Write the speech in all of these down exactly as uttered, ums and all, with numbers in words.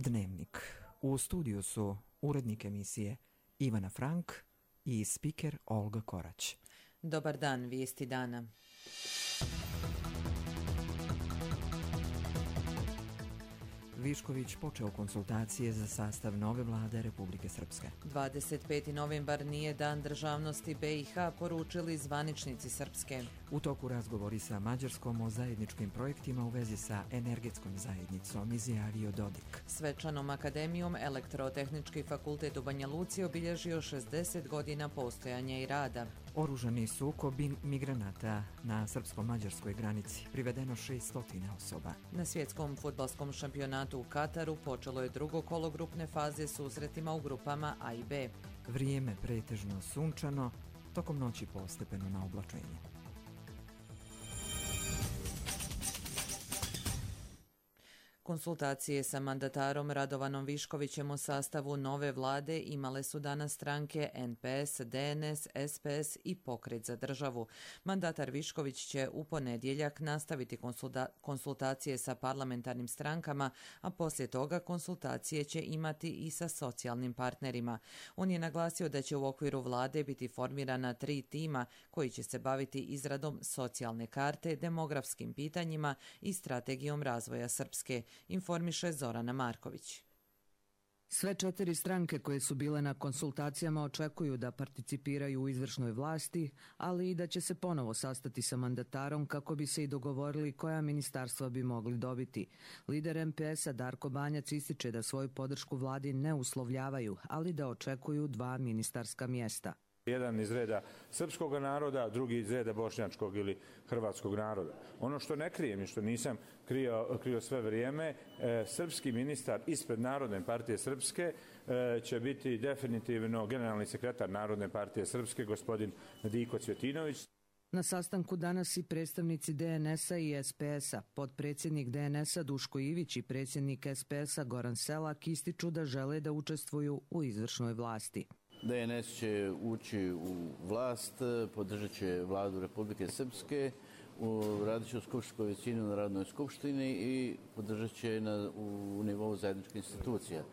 Dnevnik. U studiju su urednik emisije Ivana Frank i spiker Olga Korać. Dobar dan, vijesti dana. Višković počeo konsultacije za sastav nove vlade Republike Srpske. dvadeset peti novembar nije dan državnosti B i H, poručili zvaničnici Srpske. U toku razgovori sa Mađarskom o zajedničkim projektima u vezi sa energetskom zajednicom, izjavio Dodik. Svečanom akademijom Elektrotehnički fakultet u Banja Luci obilježio šezdeset godina postojanja i rada. Oružani sukob migranata na srpsko-mađarskoj granici, privedeno šesto osoba. Na svjetskom fudbalskom šampionatu u Kataru počelo je drugo kolo grupne faze susretima u grupama A i B. Vrijeme pretežno sunčano, tokom noći postepeno na oblačenje. Konsultacije sa mandatarom Radovanom Viškovićem o sastavu nove vlade imale su danas stranke N P S, D N S, S P S i Pokret za državu. Mandatar Višković će u ponedjeljak nastaviti konsulta- konsultacije sa parlamentarnim strankama, a poslije toga konsultacije će imati i sa socijalnim partnerima. On je naglasio da će u okviru vlade biti formirana tri tima koji će se baviti izradom socijalne karte, demografskim pitanjima i strategijom razvoja Srpske, informiše Zorana Marković. Sve četiri stranke koje su bile na konsultacijama očekuju da participiraju u izvršnoj vlasti, ali i da će se ponovo sastati sa mandatarom kako bi se i dogovorili koja ministarstva bi mogli dobiti. Lider M P S-a Darko Banjac ističe da svoju podršku vladi ne uslovljavaju, ali da očekuju dva ministarska mjesta. Jedan iz reda srpskog naroda, drugi iz reda bošnjačkog ili hrvatskog naroda. Ono što ne krijem i što nisam krio, krio sve vrijeme, e, srpski ministar ispred Narodne partije Srpske e, će biti definitivno generalni sekretar Narodne partije Srpske, gospodin Diko Cvjetinović. Na sastanku danas i predstavnici D N S-a i S P S-a. Potpredsjednik D N S-a Duško Ivić i predsjednik S P S-a Goran Selak ističu da žele da učestvuju u izvršnoj vlasti. D N S će ući u vlast, podržat će vladu Republike Srpske, radit će u skupštinskoj većini u Narodnoj skupštini i podržat će na, u nivou zajedničkih institucija.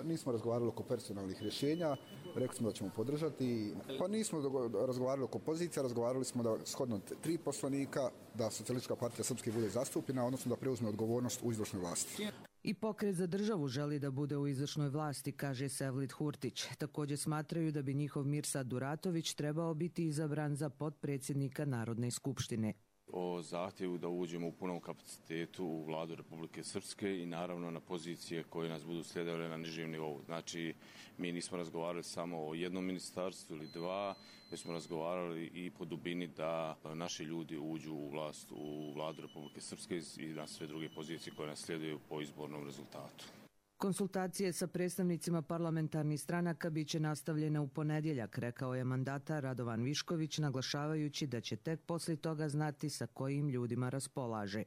Nismo razgovarali oko personalnih rješenja, rekli smo da ćemo podržati, pa nismo razgovarali oko pozicija, razgovarali smo da shodno tri poslanika, da Socijalistička partija Srpske bude zastupljena, odnosno da preuzme odgovornost u izvršnoj vlasti. I Pokret za državu želi da bude u izvršnoj vlasti, kaže Sevlid Hurtić. Također smatraju da bi njihov Mirsad Duratović trebao biti izabran za potpredsjednika Narodne skupštine. O zahtjevu da uđemo u punom kapacitetu u vladu Republike Srpske i naravno na pozicije koje nas budu slijedile na nižem nivou. Znači, mi nismo razgovarali samo o jednom ministarstvu ili dva, već smo razgovarali i po dubini da naši ljudi uđu u vlast u vladu Republike Srpske i na sve druge pozicije koje nas slijeduju po izbornom rezultatu. Konsultacije sa predstavnicima parlamentarnih stranaka bit će nastavljene u ponedjeljak, rekao je mandatar Radovan Višković, naglašavajući da će tek poslije toga znati sa kojim ljudima raspolaže.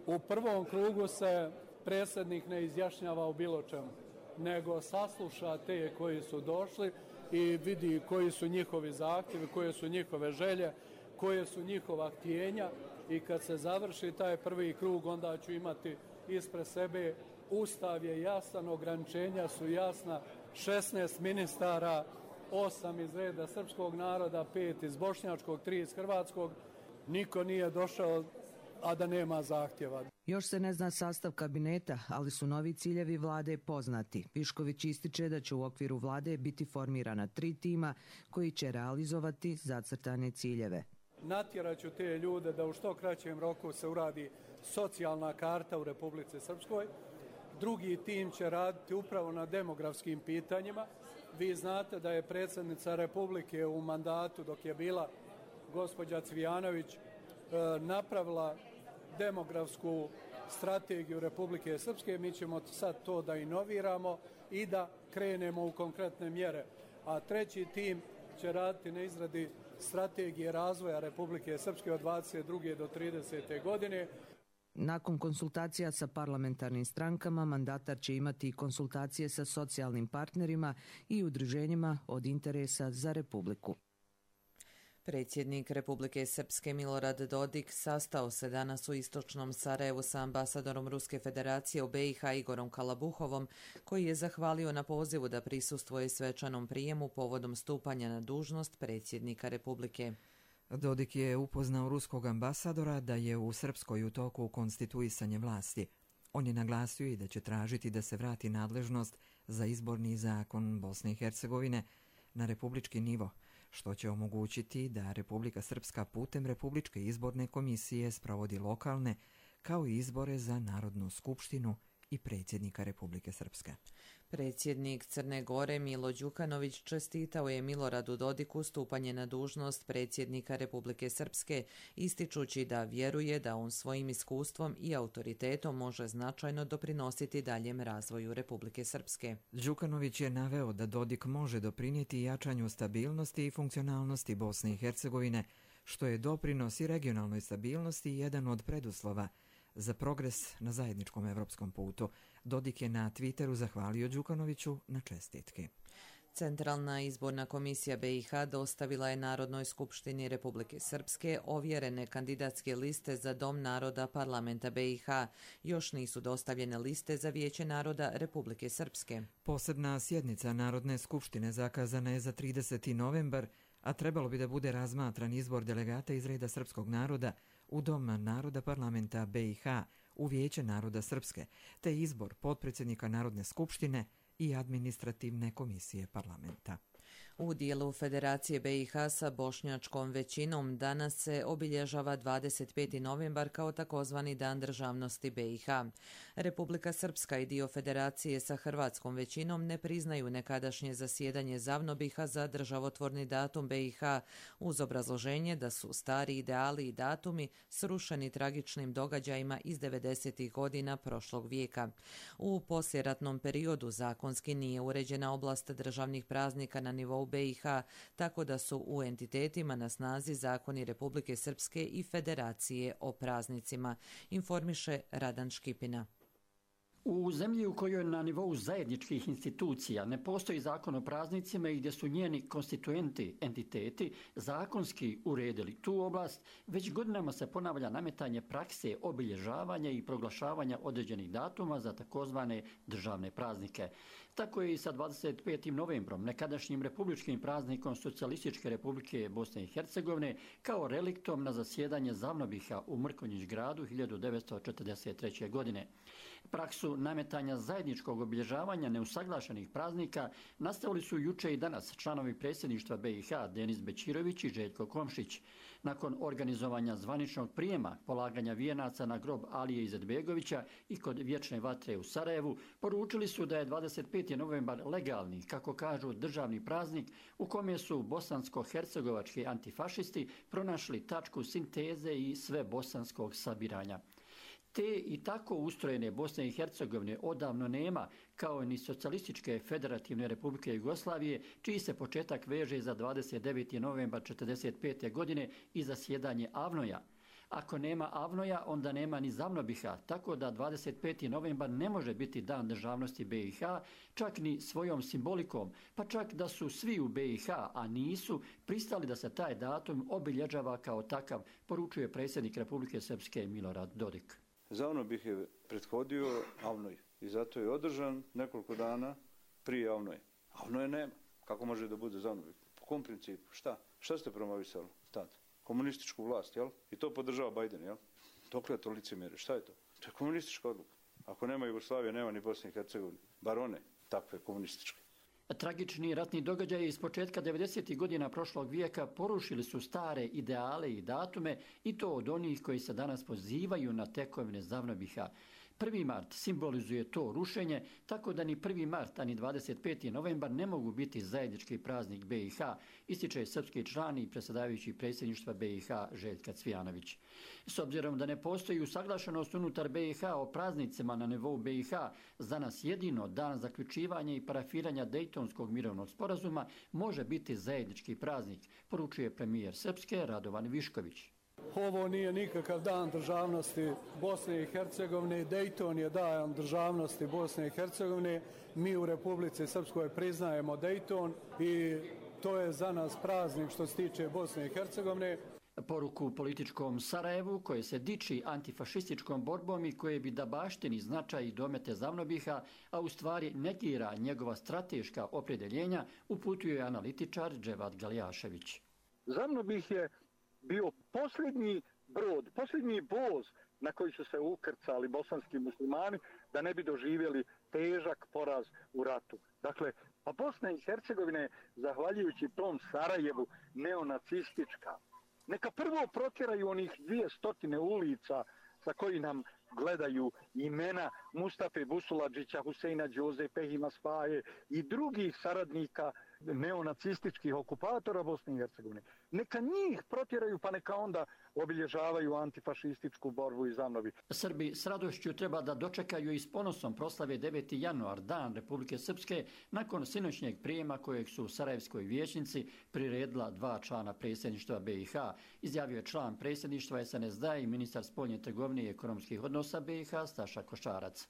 U prvom krugu se predsjednik ne izjašnjava o bilo čemu, nego sasluša te koji su došli i vidi koji su njihovi zahtjevi, koje su njihove želje, koje su njihova htjenja i kad se završi taj prvi krug onda ću imati ispred sebe Ustav je jasan, ograničenja su jasna, šesnaest ministara, osam iz reda srpskog naroda, pet iz bošnjačkog, tri iz hrvatskog. Niko nije došao, a da nema zahtjeva. Još se ne zna sastav kabineta, ali su novi ciljevi vlade poznati. Višković ističe da će u okviru vlade biti formirana tri tima koji će realizovati zacrtane ciljeve. Natjeraću te ljude da u što kraćem roku se uradi socijalna karta u Republici Srpskoj. Drugi tim će raditi upravo na demografskim pitanjima. Vi znate da je predsjednica Republike u mandatu dok je bila gospođa Cvijanović napravila demografsku strategiju Republike Srpske. Mi ćemo sad to da inoviramo i da krenemo u konkretne mjere. A treći tim će raditi na izradi strategije razvoja Republike Srpske od dvadeset druge do tridesete godine. Nakon konsultacija sa parlamentarnim strankama, mandatar će imati i konsultacije sa socijalnim partnerima i udruženjima od interesa za Republiku. Predsjednik Republike Srpske Milorad Dodik sastao se danas u istočnom Sarajevu sa ambasadorom Ruske federacije u be i ha Igorom Kalabuhovom, koji je zahvalio na pozivu da prisustvuje svečanom prijemu povodom stupanja na dužnost predsjednika Republike. Dodik je upoznao ruskog ambasadora da je u Srpskoj u toku konstituisanje vlasti. On je naglasio i da će tražiti da se vrati nadležnost za izborni zakon Bosne i Hercegovine na republički nivo, što će omogućiti da Republika Srpska putem Republičke izborne komisije sprovodi lokalne, kao i izbore za Narodnu skupštinu i predsjednika Republike Srpske. Predsjednik Crne Gore Milo Đukanović čestitao je Miloradu Dodiku stupanje na dužnost predsjednika Republike Srpske, ističući da vjeruje da on svojim iskustvom i autoritetom može značajno doprinositi daljem razvoju Republike Srpske. Đukanović je naveo da Dodik može doprinijeti jačanju stabilnosti i funkcionalnosti Bosne i Hercegovine, što je doprinos i regionalnoj stabilnosti jedan od preduslova za progres na zajedničkom evropskom putu. Dodik je na Twitteru zahvalio Đukanoviću na čestitki. Centralna izborna komisija be i ha dostavila je Narodnoj skupštini Republike Srpske ovjerene kandidatske liste za Dom naroda parlamenta be i ha. Još nisu dostavljene liste za Vijeće naroda Republike Srpske. Posebna sjednica Narodne skupštine zakazana je za trideseti novembar, a trebalo bi da bude razmatran izbor delegata iz reda srpskog naroda u Dom naroda parlamenta be i ha u Vijeće naroda Srpske, te izbor potpredsjednika Narodne skupštine i administrativne komisije parlamenta. U dijelu Federacije be i ha sa bošnjačkom većinom danas se obilježava dvadeset peti novembar kao takozvani Dan državnosti be i ha. Republika Srpska i dio Federacije sa hrvatskom većinom ne priznaju nekadašnje zasjedanje Zavnobiha za državotvorni datum be i ha uz obrazloženje da su stari ideali i datumi srušeni tragičnim događajima iz devedesetih godina prošlog vijeka. U poslijeratnom periodu zakonski nije uređena oblast državnih praznika na nivou be i ha, tako da su u entitetima na snazi zakoni Republike Srpske i Federacije o praznicima, informiše Radan Škipina. U zemlji u kojoj na nivou zajedničkih institucija ne postoji zakon o praznicima i gdje su njeni konstituenti, entiteti, zakonski uredili tu oblast, već godinama se ponavlja nametanje prakse obilježavanja i proglašavanja određenih datuma za takozvane državne praznike. Tako je i sa dvadeset petim novembrom, nekadašnjim republičkim praznikom Socijalističke Republike Bosne i Hercegovine, kao reliktom na zasjedanje Zavnobiha u Mrkonjić gradu hiljadu devetsto četrdeset treće. godine. Praksu nametanja zajedničkog obilježavanja neusaglašenih praznika nastavili su juče i danas članovi predsjedništva be i ha Denis Bećirović i Željko Komšić. Nakon organizovanja zvaničnog prijema, polaganja vijenaca na grob Alije Izetbegovića i kod Vječne vatre u Sarajevu, poručili su da je dvadeset peti novembar legalni, kako kažu, državni praznik u kome su bosansko-hercegovački antifašisti pronašli tačku sinteze i sve bosanskog sabiranja. Te i tako ustrojene Bosne i Hercegovine odavno nema, kao ni Socijalističke federativne Republike Jugoslavije, čiji se početak veže za dvadeset deveti novembar četrdeset pete. godine i zasjedanje Avnoja. Ako nema Avnoja, onda nema ni Zavnobiha, tako da dvadeset peti novembar ne može biti dan državnosti be i ha, čak ni svojom simbolikom, pa čak da su svi u be i ha, a nisu, pristali da se taj datum obilježava kao takav, poručuje predsjednik Republike Srpske Milorad Dodik. Zavnobih je prethodio Avnoj i zato je održan nekoliko dana prije Avnoje. Avnoje nema. Kako može da bude Zavnobih? Po kom principu? Šta? Šta ste promovisali tad? Komunističku vlast, jel? I to podržava Bajden, jel? Dokle je to licemjerje? Šta je to? To je komunistička odluka. Ako nema Jugoslavije, nema ni Bosne i Hercegovine. Bar one takve komunističke. Tragični ratni događaji iz početka devedesetih godina prošlog vijeka porušili su stare ideale i datume i to od onih koji se danas pozivaju na tekovine Zavnobiha. prvi mart simbolizuje to rušenje, tako da ni prvi mart, ani dvadeset peti novembar ne mogu biti zajednički praznik be i ha, ističe srpski član i predsjedavajući predsjedništva be i ha Željka Cvijanović. S obzirom da ne postoji usaglašenost unutar be i ha o praznicima na nivou be i ha, za nas jedino dan zaključivanja i parafiranja Dejtonskog mirovnog sporazuma može biti zajednički praznik, poručuje premijer Srpske Radovan Višković. Ovo nije nikakav dan državnosti Bosne i Hercegovine. Dejton je dan državnosti Bosne i Hercegovine. Mi u Republici Srpskoj priznajemo Dejton i To je za nas praznik što se tiče Bosne i Hercegovine. Poruku političkom Sarajevu, koje se diči antifašističkom borbom i koje bi da baštini značaj i domete Zavnobiha, a u stvari negira njegova strateška opredjeljenja, uputio je analitičar Dževad Galjašević. Zavnobih je bio posljednji brod, posljednji voz na koji su se ukrcali bosanski muslimani da ne bi doživjeli težak poraz u ratu. Dakle, pa Bosna i Hercegovina je, zahvaljujući tom Sarajevu, neonacistička. Neka prvo protjeraju onih dvije stotine ulica sa koji nam gledaju imena Mustafe Busuladžića, Huseina Đoze, Pehima Spaje i drugih saradnika neonacističkih okupatora Bosne i Hercegovine. Neka njih protjeraju, pa neka onda obilježavaju antifašističku borbu i Zavnobi. Srbi s radošću treba da dočekaju i s ponosom proslave deveti januar, Dan Republike Srpske, nakon sinoćnjeg prijema kojeg su u Sarajevskoj vijećnici priredila dva člana predsjedništva B i H, izjavio je član predsjedništva S N S D A i ministar spoljne trgovine i ekonomskih odnosa B i H Staša Košarac.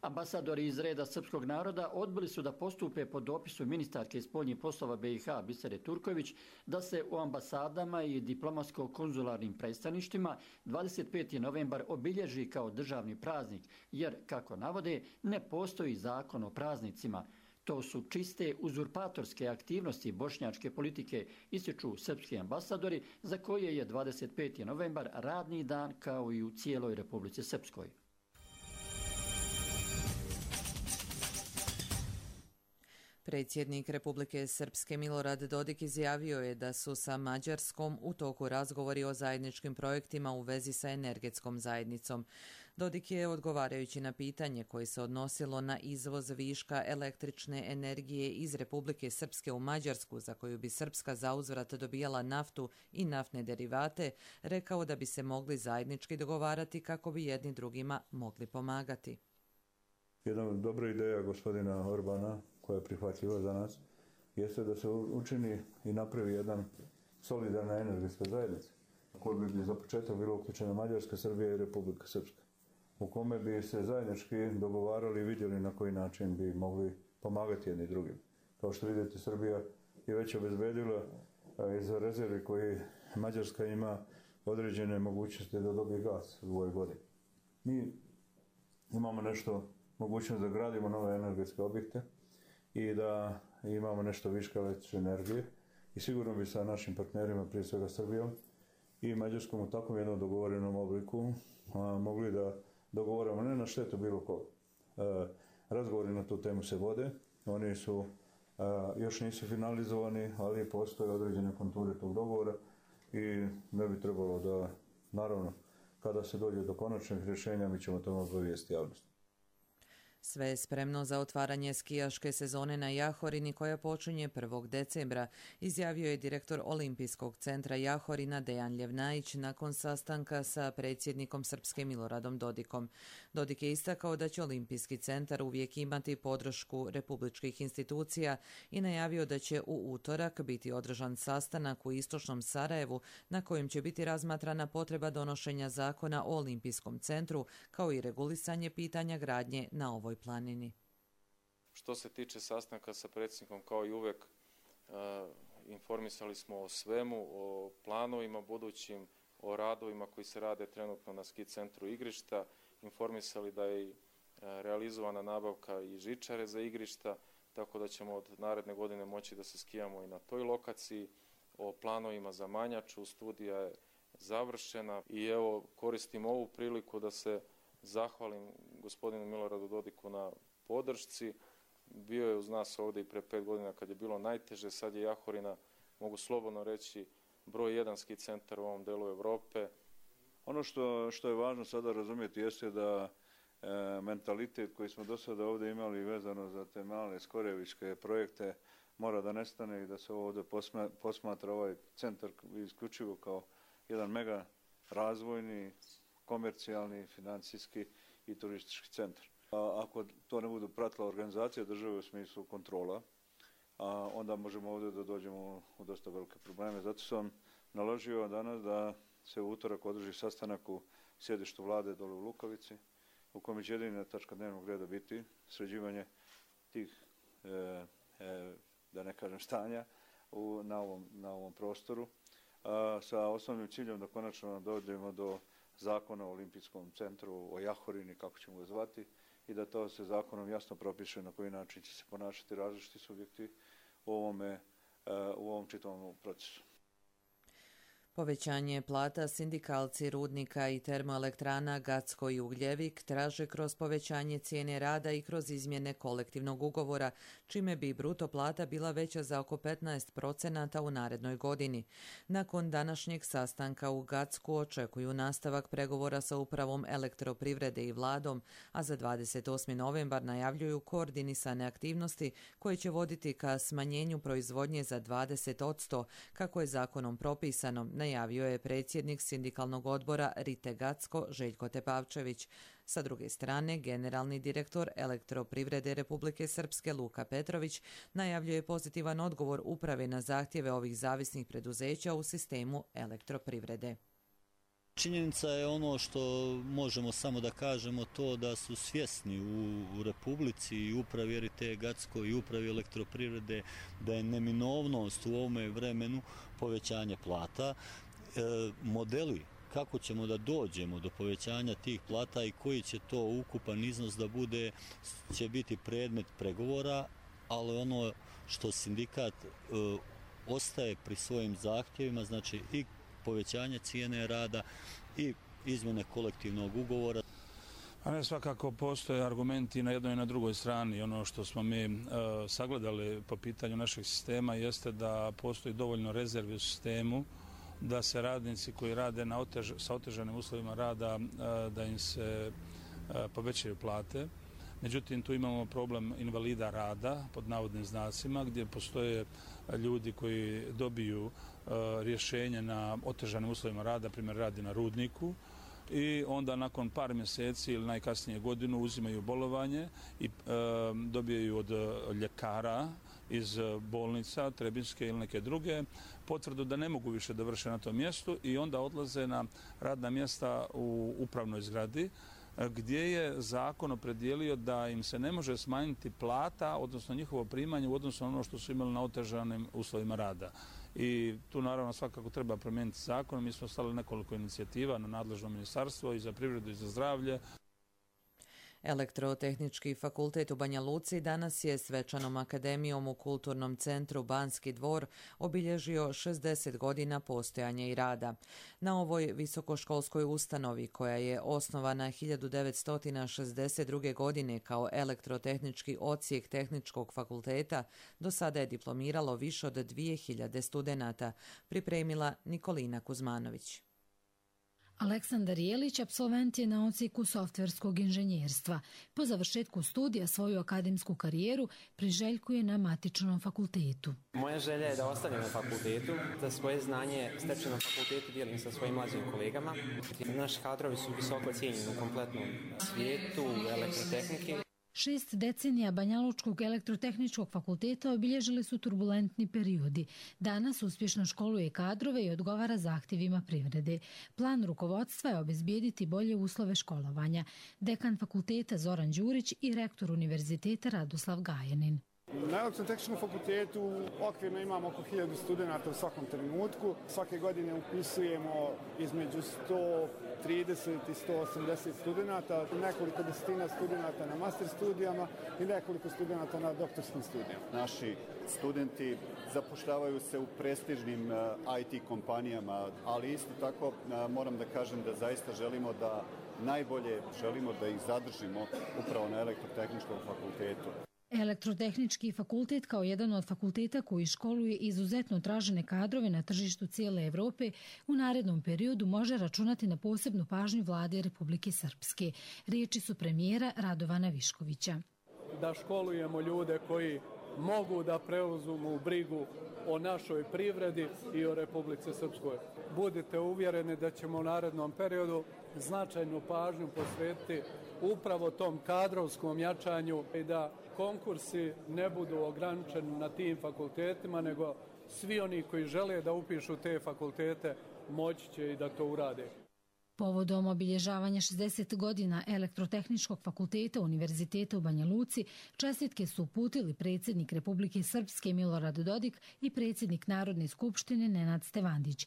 Ambasadori iz reda srpskog naroda odbili su da postupe po dopisu ministarke spoljnih poslova B i H Bisere Turković da se u ambasadama i diplomatsko-konzularnim predstavništvima dvadeset peti novembar obilježi kao državni praznik, jer, kako navode, ne postoji zakon o praznicima. To su čiste uzurpatorske aktivnosti bošnjačke politike, ističu srpski ambasadori, za koje je dvadeset peti novembar radni dan kao i u cijeloj Republici Srpskoj. Predsjednik Republike Srpske Milorad Dodik izjavio je da su sa Mađarskom u toku razgovori o zajedničkim projektima u vezi sa energetskom zajednicom. Dodik je, odgovarajući na pitanje koje se odnosilo na izvoz viška električne energije iz Republike Srpske u Mađarsku, za koju bi Srpska zauzvrat dobijala naftu i naftne derivate, rekao da bi se mogli zajednički dogovarati kako bi jedni drugima mogli pomagati. Jedna dobra ideja gospodina Orbana, koja je prihvatljiva za nas, jeste da se učini i napravi jedan solidarna energetska zajednica, u kojoj bi za početak bilo uključena Mađarska, Srbija i Republika Srpska, u kome bi se zajednički dogovarali i vidjeli na koji način bi mogli pomagati jedni drugim. Kao što vidite, Srbija je već obezbedila iz rezervi koji Mađarska ima određene mogućnosti da dobije gas u ovoj godini. Mi imamo nešto mogućnost da gradimo nove energetske objekte i da imamo nešto viška električne energije i sigurno bi sa našim partnerima, prije svega Srbijom i Mađarskom, u takvom jednom dogovorenom obliku a, mogli da dogovorimo ne na štetu bilo koga. E, razgovori na tu temu se vode, oni su a, još nisu finalizovani, ali postoje određene konture tog dogovora i ne bi trebalo da, naravno, kada se dođe do konačnih rješenja, mi ćemo tome obavijestiti javnost. Sve je spremno za otvaranje skijaške sezone na Jahorini koja počinje prvog decembra, izjavio je direktor Olimpijskog centra Jahorina Dejan Ljevnajić nakon sastanka sa predsjednikom Srpske Miloradom Dodikom. Dodik je istakao da će Olimpijski centar uvijek imati podršku republičkih institucija i najavio da će u utorak biti održan sastanak u istočnom Sarajevu na kojem će biti razmatrana potreba donošenja zakona o Olimpijskom centru kao i regulisanje pitanja gradnje na ovoj planini. Što se tiče sastanka sa predsjednikom, kao i uvek, e, informisali smo o svemu, o planovima budućim, o radovima koji se rade trenutno na ski centru igrišta, informisali da je e, realizovana nabavka i žičare za igrišta, tako da ćemo od naredne godine moći da se skijamo i na toj lokaciji, o planovima za Manjaču, studija je završena i evo koristim ovu priliku da se zahvalim gospodinu Miloradu Dodiku na podršci. Bio je uz nas ovdje i pre pet godina kad je bilo najteže, sad je Jahorina, mogu slobodno reći, broj jedan ski centar u ovom delu Evrope. Ono što, što je važno sada razumjeti jeste da e, mentalitet koji smo do sada ovdje imali vezano za te male skorevičke projekte mora da nestane i da se ovdje posma, posmatra ovaj centar isključivo kao jedan mega razvojni, komercijalni, financijski i turistički centar. A ako to ne budu pratila organizacija države u smislu kontrola, a onda možemo ovdje da dođemo u dosta velike probleme. Zato sam naložio danas da se u utorak održi sastanak u sjedištu vlade dole u Lukavici, u kojem će jedina tačka dnevnog reda biti sređivanje tih, e, e, da ne kažem, stanja u, na, ovom, na ovom prostoru a, sa osnovnim ciljem da konačno dođemo do zakona o olimpijskom centru, o Jahorini, kako ćemo ga zvati, i da to se zakonom jasno propiše na koji način će se ponašati različiti subjekti u, ovome, u ovom čitavom procesu. Povećanje plata sindikalci rudnika i termoelektrana Gacko i Ugljevik traže kroz povećanje cijene rada i kroz izmjene kolektivnog ugovora, čime bi bruto plata bila veća za oko petnaest procenata u narednoj godini. Nakon današnjeg sastanka u Gacku očekuju nastavak pregovora sa upravom elektroprivrede i vladom, a za dvadeset osmi novembar najavljuju koordinisane aktivnosti koje će voditi ka smanjenju proizvodnje za dvadeset posto, kako je zakonom propisano, najavio je predsjednik sindikalnog odbora Rite Gacko Željko Tepavčević. Sa druge strane, generalni direktor Elektroprivrede Republike Srpske Luka Petrović najavljuje pozitivan odgovor uprave na zahtjeve ovih zavisnih preduzeća u sistemu elektroprivrede. Činjenica je ono što možemo samo da kažemo to da su svjesni u, u Republici i upravi Rite Gacko i upravi elektroprivrede da je neminovnost u ovome vremenu povećanje plata. E, modeli kako ćemo da dođemo do povećanja tih plata i koji će to ukupan iznos da bude, će biti predmet pregovora, ali ono što sindikat e, ostaje pri svojim zahtjevima, znači i povećanje cijene rada i izmjene kolektivnog ugovora. A ne, svakako postoje argumenti na jednoj i na drugoj strani. Ono što smo mi e, sagledali po pitanju našeg sistema jeste da postoji dovoljno rezervi u sistemu, da se radnici koji rade na otež, sa otežanim uslovima rada, e, da im se e, povećaju plate. Međutim, tu imamo problem invalida rada, pod navodnim znacima, gdje postoje ljudi koji dobiju e, rješenje na otežanim uslovima rada, primjer radi na rudniku, i onda nakon par mjeseci ili najkasnije godinu uzimaju bolovanje i e, dobijaju od ljekara iz bolnica, Trebinjske ili neke druge, potvrdu da ne mogu više da vrše na tom mjestu i onda odlaze na radna mjesta u upravnoj zgradi, gdje je zakon opredijelio da im se ne može smanjiti plata, odnosno njihovo primanje u odnosu na ono što su imali na otežanim uslovima rada. I tu naravno svakako treba promijeniti zakon. Mi smo stavili nekoliko inicijativa na nadležno ministarstvo i za privredu i za zdravlje. Elektrotehnički fakultet u Banja Luci danas je svečanom akademijom u Kulturnom centru Banski dvor obilježio šezdeset godina postojanja i rada. Na ovoj visokoškolskoj ustanovi, koja je osnovana hiljadu devetsto šezdeset druge. godine kao elektrotehnički odsjek Tehničkog fakulteta, do sada je diplomiralo više od dvije hiljade studenata, pripremila Nikolina Kuzmanović. Aleksandar Jelić apsolvent je na odsjeku softverskog inženjerstva. Po završetku studija svoju akademsku karijeru priželjkuje na matičnom fakultetu. Moja želja je da ostanem na fakultetu, da svoje znanje stečeno na fakultetu dijelim sa svojim mlađim kolegama. Naši kadrovi su visoko cijenjeni u kompletnom svijetu elektrotehnike. Šest decenija Banjalučkog elektrotehničkog fakulteta obilježili su turbulentni periodi. Danas uspješno školuje kadrove i odgovara zahtjevima privrede. Plan rukovodstva je obezbijediti bolje uslove školovanja. Dekan fakulteta Zoran Đurić i rektor univerziteta Radoslav Gajanin. Na elektrotehničkom fakultetu okvirno imamo oko hiljadu studenata u svakom trenutku. Svake godine upisujemo između sto trideset i sto osamdeset studenata, nekoliko desetina studenata na master studijama i nekoliko studenata na doktorskim studijama. Naši studenti zapošljavaju se u prestižnim I T kompanijama, ali isto tako moram da kažem da zaista želimo da najbolje želimo da ih zadržimo upravo na elektrotehničkom fakultetu. Elektrotehnički fakultet kao jedan od fakulteta koji školuje izuzetno tražene kadrove na tržištu cijele Evrope u narednom periodu može računati na posebnu pažnju vlade Republike Srpske. Riječi su premijera Radovana Viškovića. Da školujemo ljude koji mogu da preuzmu brigu o našoj privredi i o Republici Srpskoj. Budite uvjereni da ćemo u narednom periodu značajnu pažnju posvetiti upravo tom kadrovskom jačanju i da konkursi ne budu ograničeni na tim fakultetima, nego svi oni koji žele da upišu te fakultete moći će i da to urade. Povodom obilježavanja šezdeset godina Elektrotehničkog fakulteta Univerziteta u Banja Luci, čestitke su uputili predsjednik Republike Srpske Milorad Dodik i predsjednik Narodne skupštine Nenad Stevandić.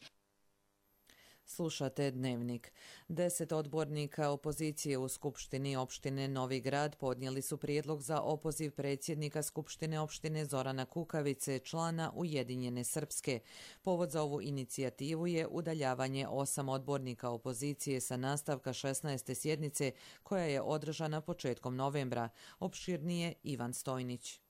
Slušate Dnevnik. Deset odbornika opozicije u Skupštini opštine Novi Grad podnijeli su prijedlog za opoziv predsjednika Skupštine opštine Zorana Kukavice, člana Ujedinjene Srpske. Povod za ovu inicijativu je udaljavanje osam odbornika opozicije sa nastavka šesnaeste sjednice koja je održana početkom novembra. Opširnije Ivan Stojnić.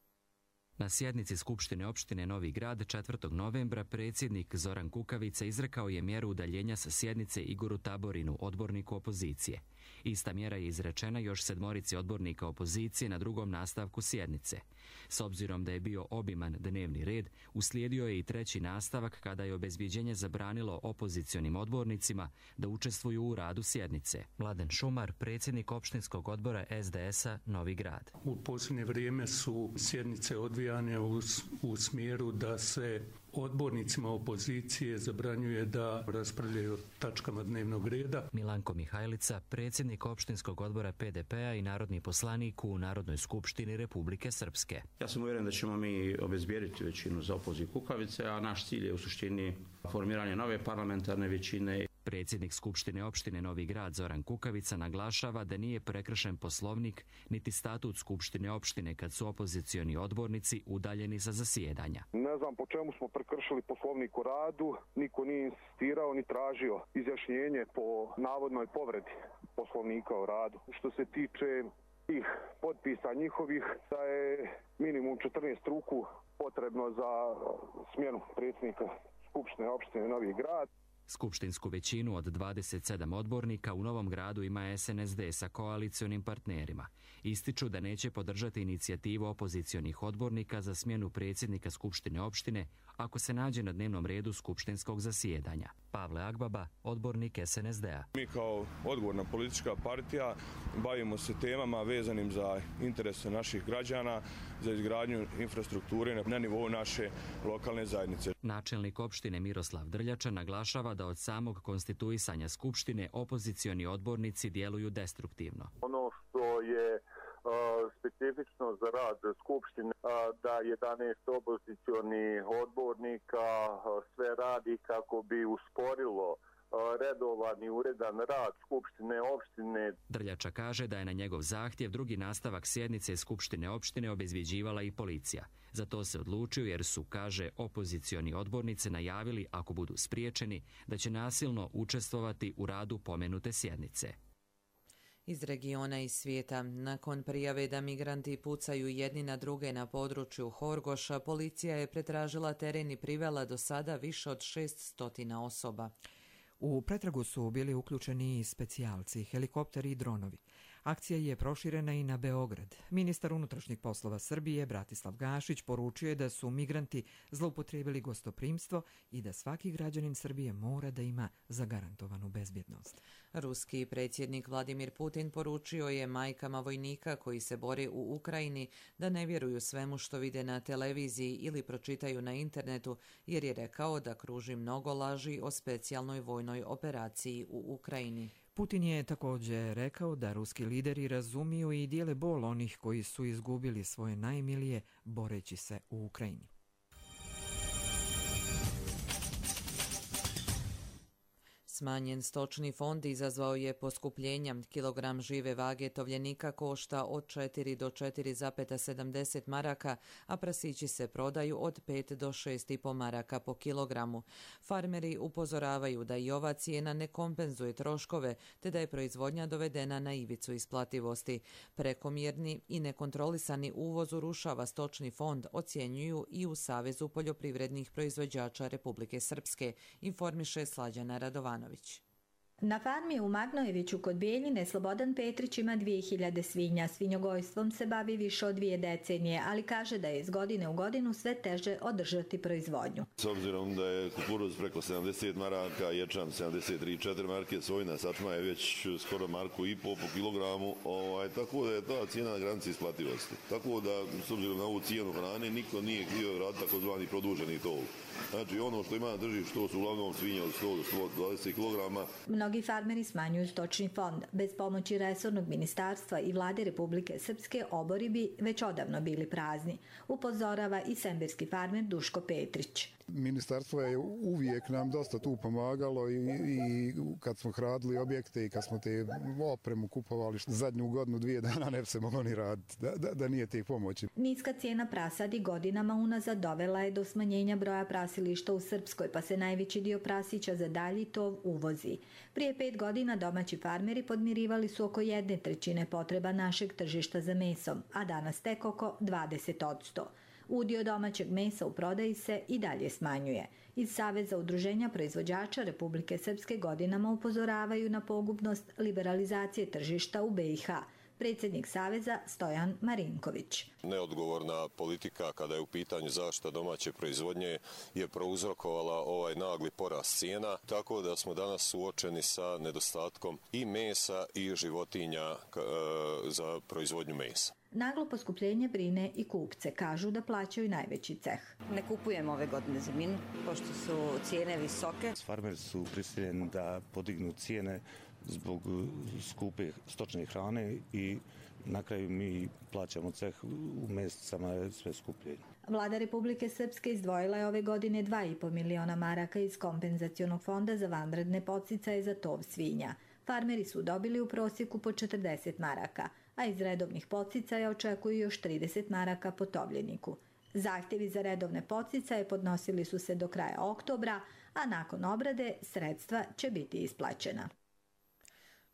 Na sjednici Skupštine opštine Novi Grad četvrtog novembra predsjednik Zoran Kukavica izrekao je mjeru udaljenja sa sjednice Igoru Taborinu, odborniku opozicije. Ista mjera je izrečena još sedmorici odbornika opozicije na drugom nastavku sjednice. S obzirom da je bio obiman dnevni red, uslijedio je i treći nastavak kada je obezbjeđenje zabranilo opozicionim odbornicima da učestvuju u radu sjednice. Mladen Šumar, predsjednik opštinskog odbora es de es-a Novi Grad. U posljednje vrijeme su sjednice odvijane u, u smjeru da se odbornicima opozicije zabranjuje da raspravljaju o tačkama dnevnog reda. Milanko Mihajlica, predsjednik opštinskog odbora pe de pe-a i narodni poslanik u Narodnoj skupštini Republike Srpske. Ja sam uvjeren da ćemo mi obezbijediti većinu za opoziv Kukavice, a naš cilj je u suštini formiranje nove parlamentarne većine. Predsjednik Skupštine opštine Novi Grad Zoran Kukavica naglašava da nije prekršen poslovnik niti statut Skupštine opštine kad su opozicioni odbornici udaljeni sa zasjedanja. Ne znam po čemu smo prekršili poslovnik o radu, niko nije insistirao ni tražio izjašnjenje po navodnoj povredi poslovnika o radu. Što se tiče tih potpisa njihovih, da je minimum četrnaest ruku potrebno za smjenu predsjednika Skupštine opštine Novi Grad. Skupštinsku većinu od dvadeset sedam odbornika u Novom Gradu ima es en es de sa koalicionim partnerima. Ističu da neće podržati inicijativu opozicionih odbornika za smjenu predsjednika Skupštine opštine ako se nađe na dnevnom redu skupštinskog zasjedanja. Pavle Agbaba, odbornik es en es de-a. Mi kao odgovorna politička partija bavimo se temama vezanim za interese naših građana, za izgradnju infrastrukture na nivou naše lokalne zajednice. Načelnik opštine Miroslav Drljača naglašava da od samog konstituisanja Skupštine opozicioni odbornici djeluju destruktivno. Ono što je specifično za rad Skupštine, da jedanaest opozicionih odbornika sve radi kako bi usporilo redovan i uredan rad Skupštine opštine. Drljača kaže da je na njegov zahtjev drugi nastavak sjednice Skupštine opštine obezbjeđivala i policija. Za to se odlučio jer su, kaže, opozicioni odbornici najavili, ako budu spriječeni, da će nasilno učestvovati u radu pomenute sjednice. Iz regiona i svijeta, nakon prijave da migranti pucaju jedni na druge na području Horgoša, policija je pretražila teren i privela do sada više od šeststo osoba. U pretragu su bili uključeni i specijalci, helikopteri i dronovi. Akcija je proširena i na Beograd. Ministar unutrašnjih poslova Srbije Bratislav Gašić poručio je da su migranti zloupotrijebili gostoprimstvo i da svaki građanin Srbije mora da ima zagarantovanu bezbjednost. Ruski predsjednik Vladimir Putin poručio je majkama vojnika koji se bore u Ukrajini da ne vjeruju svemu što vide na televiziji ili pročitaju na internetu, jer je rekao da kruži mnogo laži o specijalnoj vojnoj operaciji u Ukrajini. Putin je također rekao da ruski lideri razumiju i dijele bol onih koji su izgubili svoje najmilije boreći se u Ukrajini. Smanjen stočni fond izazvao je poskupljenja. Kilogram žive vage tovljenika košta od četiri do četiri zarez sedamdeset maraka, a prasići se prodaju od pet do šest i po maraka po kilogramu. Farmeri upozoravaju da i ova cijena ne kompenzuje troškove, te da je proizvodnja dovedena na ivicu isplativosti. Prekomjerni i nekontrolisani uvoz urušava stočni fond, ocjenjuju i u Savezu poljoprivrednih proizvođača Republike Srpske, informiše Slađana Radovanović. Na farmi u Magnojeviću kod Bijeljine Slobodan Petrić ima dvije hiljade svinja. Svinjogojstvom se bavi više od dvije decenije, ali kaže da je iz godine u godinu sve teže održati proizvodnju. S obzirom da je kukuruz preko sedamdeset maraka, ječam sedamdeset tri zarez četiri marke, sojna sačma je već skoro marku i po po kilogramu, ovaj, tako da je ta cijena na granici isplativosti. Tako da, s obzirom na ovu cijenu hrane, niko nije htio raditi takozvani produženi tov. Znači, ono što ima na tržištu, to su uglavnom svinje od sto do sto dvadeset kilograma. Mnogi farmeri smanjuju stočni fond. Bez pomoći resornog ministarstva i vlade Republike Srpske obori bi već odavno bili prazni, upozorava i sembirski farmer Duško Petrić. Ministarstvo je uvijek nam dosta tu pomagalo i, i kad smo gradili objekte i kad smo te opremu kupovali zadnju godinu, dvije dana ne bi se moglo ni raditi, da, da, da nije tih pomoći. Niska cijena prasadi godinama unazad dovela je do smanjenja broja prasilišta u Srpskoj, pa se najveći dio prasića za dalji tov uvozi. Prije pet godina domaći farmeri podmirivali su oko jedne trećine potreba našeg tržišta za mesom, a danas tek oko dvadeset posto. Udio domaćeg mesa u prodaji se i dalje smanjuje. Iz Saveza udruženja proizvođača Republike Srpske godinama upozoravaju na pogubnost liberalizacije tržišta u be i ha. Predsjednik Saveza Stojan Marinković. Neodgovorna politika kada je u pitanju zaštita domaće proizvodnje je prouzrokovala ovaj nagli porast cijena, tako da smo danas suočeni sa nedostatkom i mesa i životinja za proizvodnju mesa. Naglo poskupljenje brine i kupce, kažu da plaćaju najveći ceh. Ne kupujemo ove godine zemljinu, pošto su cijene visoke. Farmeri su prisiljeni da podignu cijene zbog skupe stočne hrane i na kraju mi plaćamo ceh u mesecama sve skuplje. Vlada Republike Srpske izdvojila je ove godine dva i po miliona maraka iz kompenzacionog fonda za vanredne podsticaje za tov svinja. Farmeri su dobili u prosjeku po četrdeset maraka, a iz redovnih podsticaja očekuju još trideset maraka po tovljeniku. Zahtjevi za redovne podsticaje podnosili su se do kraja oktobra, a nakon obrade sredstva će biti isplaćena.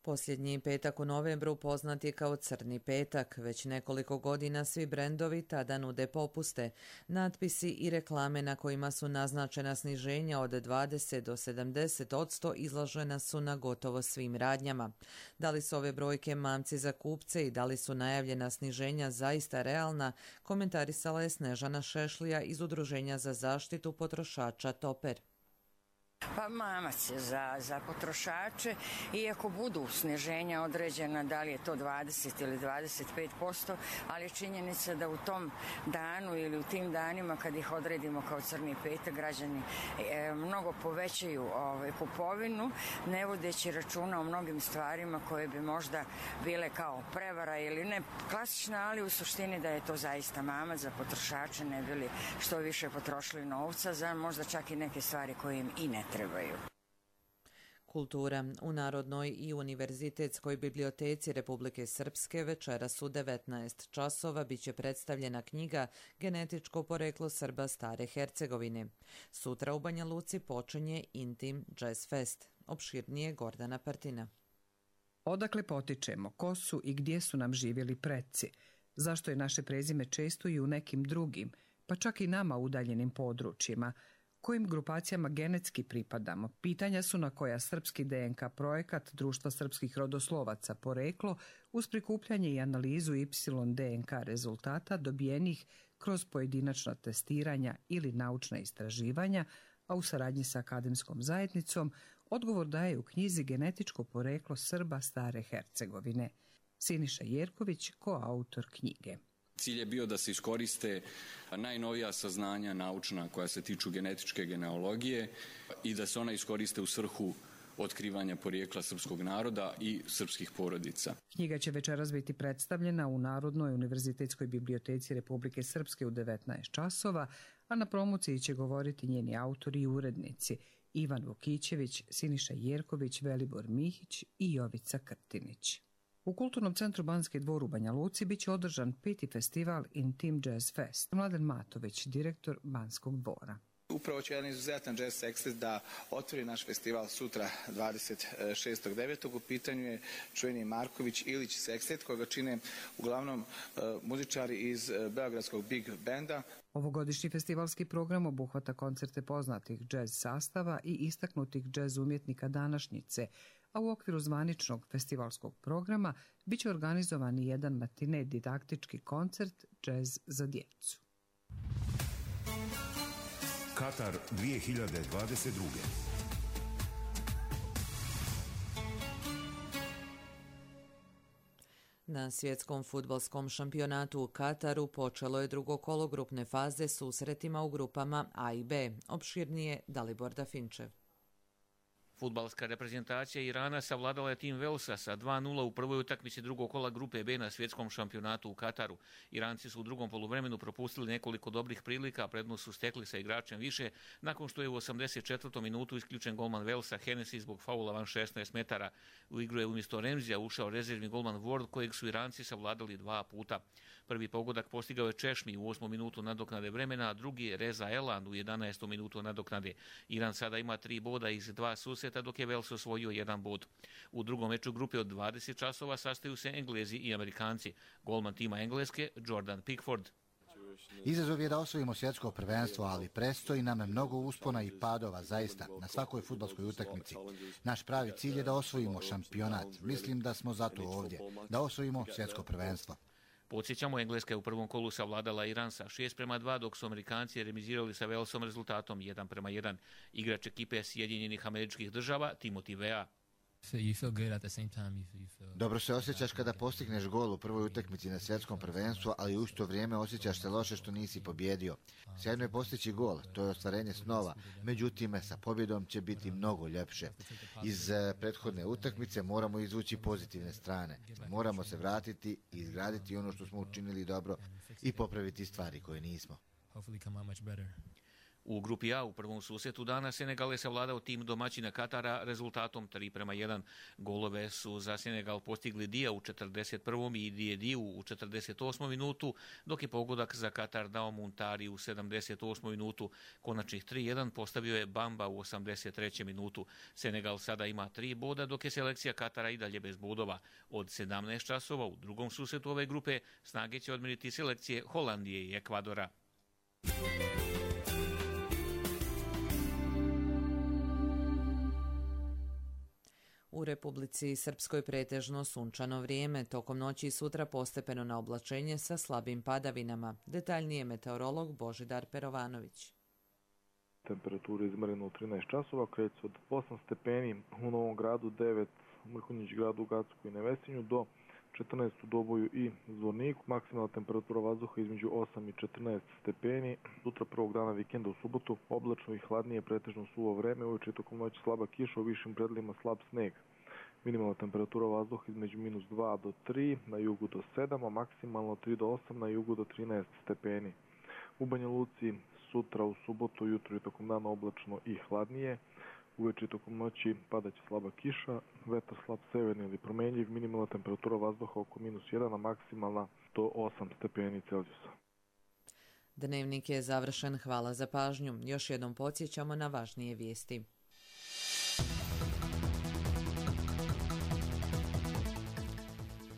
Posljednji petak u novembru poznat je kao Crni petak. Već nekoliko godina svi brendovi tada nude popuste. Natpisi i reklame na kojima su naznačena sniženja od dvadeset do sedamdeset posto izložena su na gotovo svim radnjama. Da li su ove brojke mamci za kupce i da li su najavljena sniženja zaista realna, komentarisala je Snežana Šešlija iz Udruženja za zaštitu potrošača Toper. Pa mamac je za, za potrošače, iako budu sniženja određena, da li je to dvadeset ili dvadeset pet posto, ali je činjenica da u tom danu ili u tim danima kad ih odredimo kao Crni petak, građani e, mnogo povećaju ovaj, kupovinu, ne vodeći računa o mnogim stvarima koje bi možda bile kao prevara ili ne klasična, ali u suštini da je to zaista mamac za potrošače, ne bili što više potrošili novca za možda čak i neke stvari koje im i ne trebaju. Kultura. U Narodnoj i Univerzitetskoj biblioteci Republike Srpske večeras u devetnaest časova biće predstavljena knjiga Genetičko poreklo Srba Stare Hercegovine. Sutra u Banja Luci počinje Intim Jazz Fest. Opširnije Gordana Partina. Odakle potičemo, ko su i gdje su nam živjeli preci? Zašto je naše prezime često i u nekim drugim, pa čak i nama udaljenim područjima? Kojim grupacijama genetski pripadamo? Pitanja su na koja srpski de en ka projekat Društva srpskih rodoslovaca Poreklo uz prikupljanje i analizu Y de en ka rezultata dobijenih kroz pojedinačna testiranja ili naučna istraživanja, a u saradnji sa akademskom zajednicom, odgovor daje u knjizi Genetičko poreklo Srba Stare Hercegovine. Siniša Jerković, koautor knjige. Cilj je bio da se iskoriste najnovija saznanja naučna koja se tiču genetičke genealogije i da se ona iskoriste u svrhu otkrivanja porijekla srpskog naroda i srpskih porodica. Knjiga će večeras biti predstavljena u Narodnoj univerzitetskoj biblioteci Republike Srpske u devetnaest časova, a na promociji će govoriti njeni autori i urednici Ivan Vukićević, Siniša Jerković, Velibor Mihić i Jovica Krtinić. U Kulturnom centru Banski dvor u Banja Luci biće održan peti festival Intim Jazz Fest. Mladen Matović, direktor Banskog dvora. Upravo će jedan izuzetan jazz sextet da otvori naš festival sutra dvadeset šestog devetog U pitanju je čuveni Marković Ilić sextet koga čine uglavnom uh, muzičari iz uh, beogradskog Big Benda. Ovogodišnji festivalski program obuhvata koncerte poznatih džez sastava i istaknutih džez umjetnika današnjice, a u okviru zvaničnog festivalskog programa biće organizovan i jedan matine didaktički koncert džez za djecu. Katar dvije hiljade dvadeset druge. Na svjetskom fudbalskom šampionatu u Kataru počelo je drugo kolo grupne faze susretima u grupama A i B. Opširnije Dalibor Dafinčev. Fudbalska reprezentacija Irana savladala je tim Velsa sa dva nula u prvoj utakmici drugog kola grupe B na svjetskom šampionatu u Kataru. Iranci su u drugom poluvremenu propustili nekoliko dobrih prilika, a prednost su stekli sa igračem više, nakon što je u osamdeset četvrtoj minutu isključen golman Velsa Hennessy zbog faula van šesnaest metara. U igru je umjesto Remzija ušao rezervni golman Ward, kojeg su Iranci savladali dva puta. Prvi pogodak postigao je Češmi u osmom minutu nadoknade vremena, a drugi Reza Elan u jedanaestom minutu nadoknade. Iran sada ima tri boda iz dva susreta, dok je Vels osvojio jedan bod. U drugom meču grupe od dvadeset časova sastaju se Englezi i Amerikanci. Golman tima Engleske Jordan Pickford. Izazov je da osvojimo svjetsko prvenstvo, ali predstoji nam mnogo uspona i padova, zaista, na svakoj fudbalskoj utakmici. Naš pravi cilj je da osvojimo šampionat. Mislim da smo zato ovdje, da osvojimo svjetsko prvenstvo. Podsjećamo, Engleska je u prvom kolu savladala Iran sa šest prema dva, dok su Amerikanci remizirali sa Velsom rezultatom jedan prema jedan. Igrač ekipe Sjedinjenih Američkih Država, Timothy Vea. Dobro se osjećaš kada postigneš gol u prvoj utakmici na svjetskom prvenstvu, ali u isto vrijeme osjećaš se loše što nisi pobjedio. Sjajno je postići gol, to je ostvarenje snova, međutim sa pobjedom će biti mnogo ljepše. Iz prethodne utakmice moramo izvući pozitivne strane. Moramo se vratiti i izgraditi ono što smo učinili dobro i popraviti stvari koje nismo. U grupi A u prvom susretu dana Senegal je savladao tim domaćina Katara rezultatom tri prema jedan. Golove su za Senegal postigli Dia u četrdeset prvom i Diediju u četrdeset osmom minutu, dok je pogodak za Katar dao Muntari u sedamdeset osmoj minutu. Konačnih tri jedan postavio je Bamba u osamdeset trećoj minutu. Senegal sada ima tri boda, dok je selekcija Katara i dalje bez bodova. Od sedamnaest časova u drugom susretu ove grupe snage će odmiriti selekcije Holandije i Ekvadora. U Republici Srpskoj pretežno sunčano vrijeme, tokom noći i sutra postepeno na oblačenje sa slabim padavinama. Detaljnije meteorolog Božidar Perovanović. Temperatura izmjerena u trinaest časova, kreće od osam stepeni u Novom Gradu, devet u Mrkonjić gradu, u Gacku i Nevesinju, do četrnaest u Doboju i Zvorniku. Maksimalna temperatura vazduha između osam i četrnaest stepeni. Sutra prvog dana vikenda u subotu oblačno i hladnije, pretežno suvo vreme, uveče tokom noći slaba kiša, u višim predelima slab sneg. Minimalna temperatura vazduha između minus dva do tri, na jugu do sedam, a maksimalno tri do osam, na jugu do trinaest stepeni. U Banja Luci sutra u subotu jutro i tokom dana oblačno i hladnije. Uveče tokom noći padaće slaba kiša, vetar slab severni ili promenljiv, minimalna temperatura vazduha oko minus jedan, a maksimalna do osam stepeni Celzijusa. Dnevnik je završen, hvala za pažnju. Još jednom podsjećamo na važnije vijesti.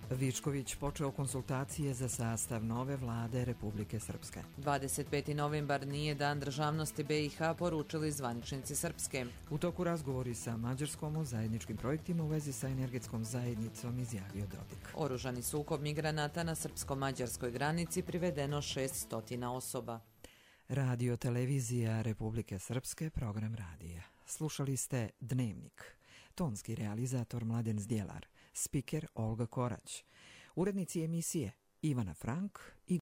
Vičković počeo konsultacije za sastav nove vlade Republike Srpske. dvadeset peti novembar nije dan državnosti B i H, poručili zvaničnici Srpske. U toku razgovori sa Mađarskom o zajedničkim projektima u vezi sa energetskom zajednicom, izjavio Dodik. Oružani sukob migranata na srpsko-mađarskoj granici, privedeno šest stotina osoba. Radio televizija Republike Srpske, program radija. Slušali ste Dnevnik. Tonski realizator Mladen Zdjelar. Spiker Olga Korać. Urednici emisije Ivana Frank i